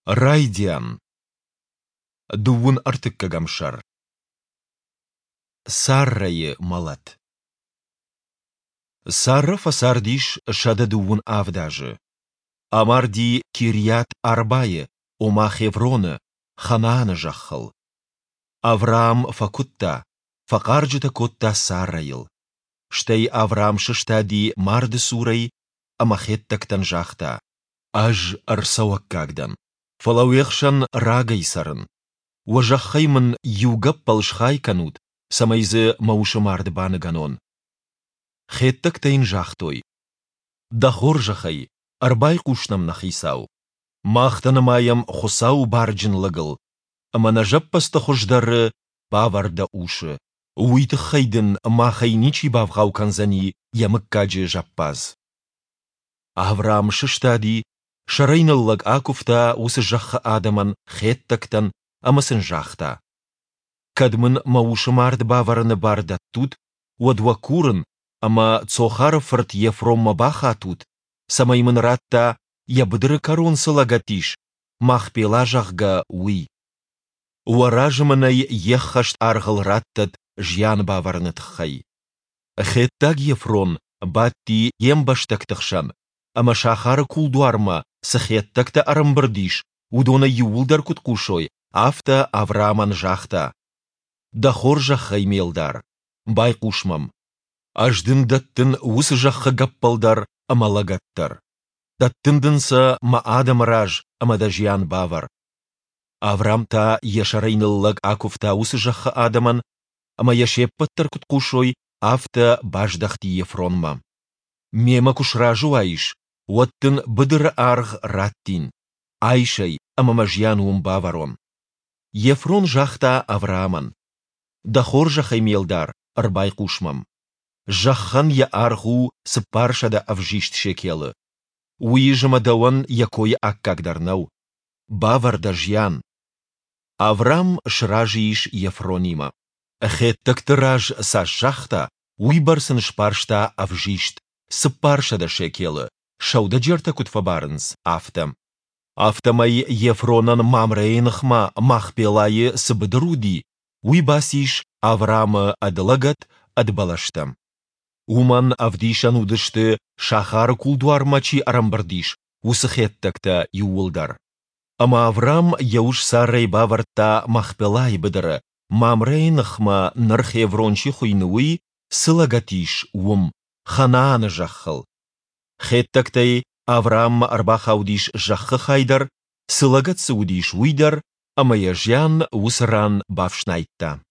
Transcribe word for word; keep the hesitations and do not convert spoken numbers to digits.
Райдиан. Дыууын ӕртыккӕгӕм сӕр. Саррӕйы мӕлӕт. Саррӕ фӕцардис сӕдӕ дыууын авд азы. Амарди Кирйат-Арбайы, ома Хевроны, Ханааны зӕххыл. Авраам фӕкуыдта, фӕхъарджытӕ кодта Саррӕйыл. Стӕй Авраам сыстади марды цурӕй ӕмӕ хеттӕгтӕн загъта: Ӕз ӕрцӕуӕггаг дӕн, фӕлӕ уе хсӕн рагӕй цӕрын. Уӕ зӕххӕй мын иу гӕппӕл схай кӕнут, цӕмӕй дзы мӕ усы мард баныгӕнон. Хеттӕгтӕ йын загътой: Дӕ хорзӕхӕй, ӕрбайхъус нӕм, нӕ хицау. Мах дӕ нымайӕм Хуыцауы барджын лӕгыл, ӕмӕ нӕ зӕппӕдзты хуыздӕры бавӕр дӕ усы. Уый тыххӕй дын махӕй ничи бавгъау кӕндзӕни йӕ мыггаджы зӕппадз. Авраам сыстади, сӕрӕй ныллӕг акуывта уыцы зӕххы адӕмӕн, хеттӕгтӕн, ӕмӕ сын загъта: Кӕд мын мӕ усы мард бавӕрыны бар дӕттут, уӕд уӕ курын, ӕмӕ Цохары фырт Ефронмӕ бахатут, цӕмӕй мын ратта, йӕ быдыры кӕрон цы лӕгӕт ис, Махпела, зӕгъгӕ, уый. Уӕ разы мын ӕй йе ххӕст аргъыл раттӕд зиан бавӕрыны тыххӕй. Хеттаг Ефрон бадти йе мбӕстӕгты хсӕн, ӕмӕ сахары кулдуармӕ цы хеттӕгтӕ ӕрӕмбырд ис, уыдон ӕй иууылдӕр куыд хъусой, афтӕ Авраамӕн загъта: Дӕ хорзӕхӕй, ме лдар, байхъус мӕм. Ӕз дын дӕттын уыцы зӕххы гӕппӕл дӕр ӕмӕ лӕгӕт дӕр. Дӕттын дын сӕ мӕ адӕмы раз ӕмӕ дӕ зиан бавӕр. Авраам та йӕ сӕрӕй ныллӕг акуывта уыцы зӕххы адӕмӕн, ӕмӕ йӕ се ппӕт дӕр куыд хъусой, афтӕ баздӕхти Ефронмӕ. Мемӕ куы сразы уаис, уӕд дын быдыры аргъ раттин, айс ӕй ӕмӕ мӕ зиан уым бавӕрон. Ефрон загъта Авраамӕн: Дӕ хорзӕхӕй, ме лдар, ӕрбайхъус мӕм. Зӕххӕн йӕ аргъ у цыппарсӕдӕ ӕвзист шекелы. Уый зымӕ дӕуӕн йӕ койы аккаг дӕр нӕу. Бавӕр дӕ зиан. Авраам сразы ис Ефронимӕ. Хеттӕгты раз цас загъта, уыйбӕрц ын сбарста ӕвзист, цыппарсӕдӕ шекелы, сӕудӕджертӕ куыд фӕбарынц, афтӕ. Афтӕмӕй Ефронӕн Мамрейы ныхмӕ Махпелайы цы быдыр уыди, уый бацис Авраамы ӕд лӕгӕт, ӕд бӕлӕстӕ. Уымӕн ӕвдисӕн уыдысты, сахары кулдуармӕ чи ӕрӕмбырд ис, уыцы хеттӕгтӕ иууылдӕр. Ӕмӕ Авраам йӕ ус Саррӕйы бавӕрдта Махпелайы быдыры, Мамрейы ныхмӕ ныр Хеврон чи хуыйны, уый цы лӕгӕт ис, уым, Ханааны зӕххыл. Хеттӕгтӕй Аврааммӕ ӕрбахаудис зӕххы хай дӕр, цы лӕгӕт дзы уыдис, уый дӕр, ӕмӕ йӕ зиан уыцы ран бафснайдта.